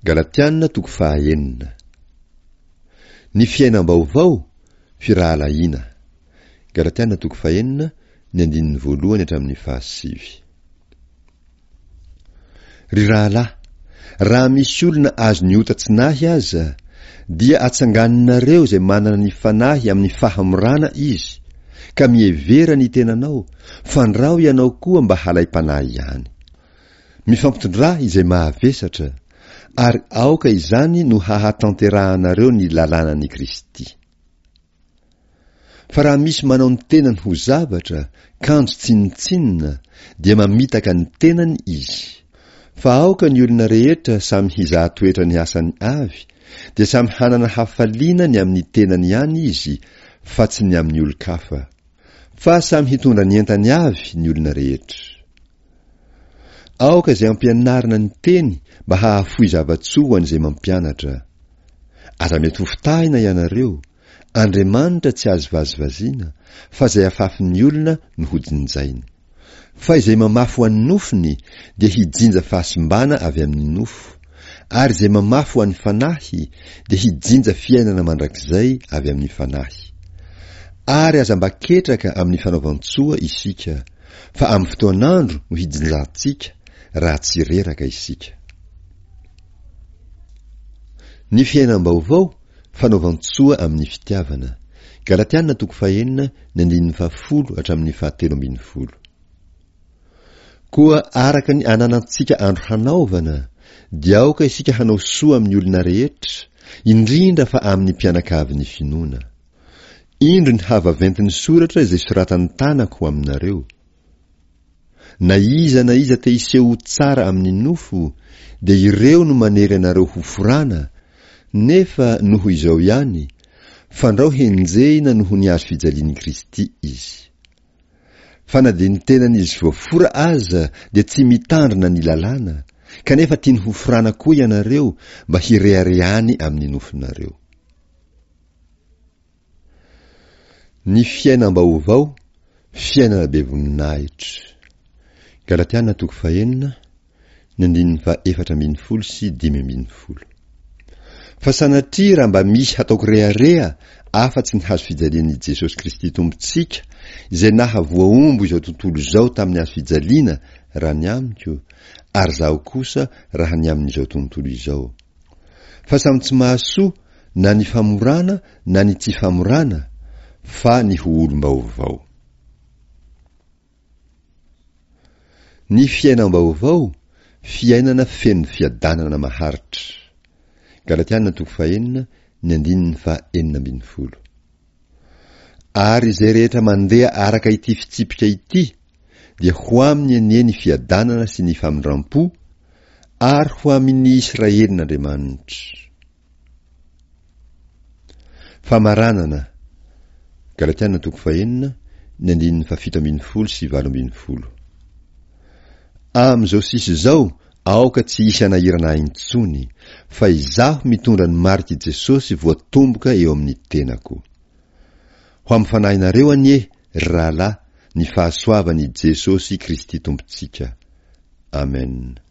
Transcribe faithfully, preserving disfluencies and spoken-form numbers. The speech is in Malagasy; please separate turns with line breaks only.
Galatiana toko fahaenina. Ny fiainam-baovao, firahalahiana. Galatiana toko fahenina, ny andininy voalohany hatramin'ny fahasivy. Ry rahalahy, raha misy olona azon'ny ota tsy nahy aza, dia atsanganinareo izay manana ny fanahy amin'ny fahamorana izy, ka mihevera ny tenanao, fandrao ianao koa mba halaim-panahy ihany. Mifampitondrà izay mahavesatra, ary aoka izany no hahatanterahanareo ny lalànan'i Kristy. Fa raha misy manao ny tenany ho zavatra, kanjo tsinontsinona, dia mamitaka ny tenany izy. Fa aoka ny olona rehetra samy hizaha toetra ny asany avy, dia samy hanana hafaliana ny amin'ny tenany ihany izy, fa tsy ny amin'ny olon-kafa. Fa samy hitondra ny entany avy ny olona rehetra. Aoka izay ampianarina ny teny mba hahafoy zava-tsoa ho an'izay mampianatra. Aza mety hofitahina ianareo, Andriamanitra tsy azo vazivaziana, fa izay afafin'ny olona no hojinjainy. Fa izay mamafy ho an'ny nofony dia hijinja fahasimbana avy amin'ny nofo, ary izay mamafy ho an'ny fanahy dia hijinja fiainana mandrakizay avy amin'ny fanahy. Ary aza mba ketraka amin'ny fanaovan-tsoa isika, fa amin'ny fotoan'andro no hijinjantsika, raha tsy reraka isika. Ny fiainam-baovao, fanaovan-tsoa amin'ny fitiavana. Galatiana toko fahenina, ny andininy fahafolo hatramin'ny fahatelo ambin'ny folo. Koa araka ny ananantsika andro hanaovana, dia aoka isika hanao soa amin'ny olona rehetra, indrindra fa amin'ny mpianakavin'ny finoana. Indro ny havaventin'ny soratra izay soratan'ny tanako ho aminareo. Na iza na iza te hiseho ho tsara amin'ny nofo, dia ireo no manery anareo ho forana, nefa noho izao ihany, fandrao henjehina noho ny hazo fijalian'i Kristy izy. Fa na dia ny tenan'izy voafora aza dia tsy mitandrina ny lalàna, kanefa tiany ho forana koa ianareo mba hireharehany amin'ny nofonareo. Ny fiainam-baovao, fiainana be voninahitra. Galatiana toko fahenina, ny andininy fahaefatra ambin'ny folo sy dimy ambin'ny folo. Fa sanatria raha mba misy hataoko rehareha afa-tsy ny hazo fijalian'i Jesosy Kristy Tompontsika, izay nahavoahombo izao tontolo izao tamin'ny hazo fijaliana raha ny amiko, ary izaho kosa raha ny amin'izao tontolo izao. Fa samy tsy mahasoa na ny famorana na ny tsy famorana, fa ny ho olom-baovao. Ny fiainam-baovao, fiainana feno fiadanana maharitra. Galatiana toko fahenina, ny andininy faha enina ambin'ny folo. Ary izay rehetra mandeha araka ity fitsipika ity, dia ho aminy anie ny fiadanana sy ny famindram-po, ary ho amin'ny Israelin'Andriamanitra. Famaranana. Galatiana toko fahenina, ny andininy fahafito ambin'ny folo sy valo ambin'ny folo. Amin'izao sisa izao, aoka tsy hisy hanahirana ahy intsony, fa izaho mitondra ny marik'i Jesosy voatomboka eo amin'ny tenako. Ho amin'ny fanahinareo anie, ry rahalahy, ny fahasoavan'i Jesosy Kristy Tompontsika. Amen.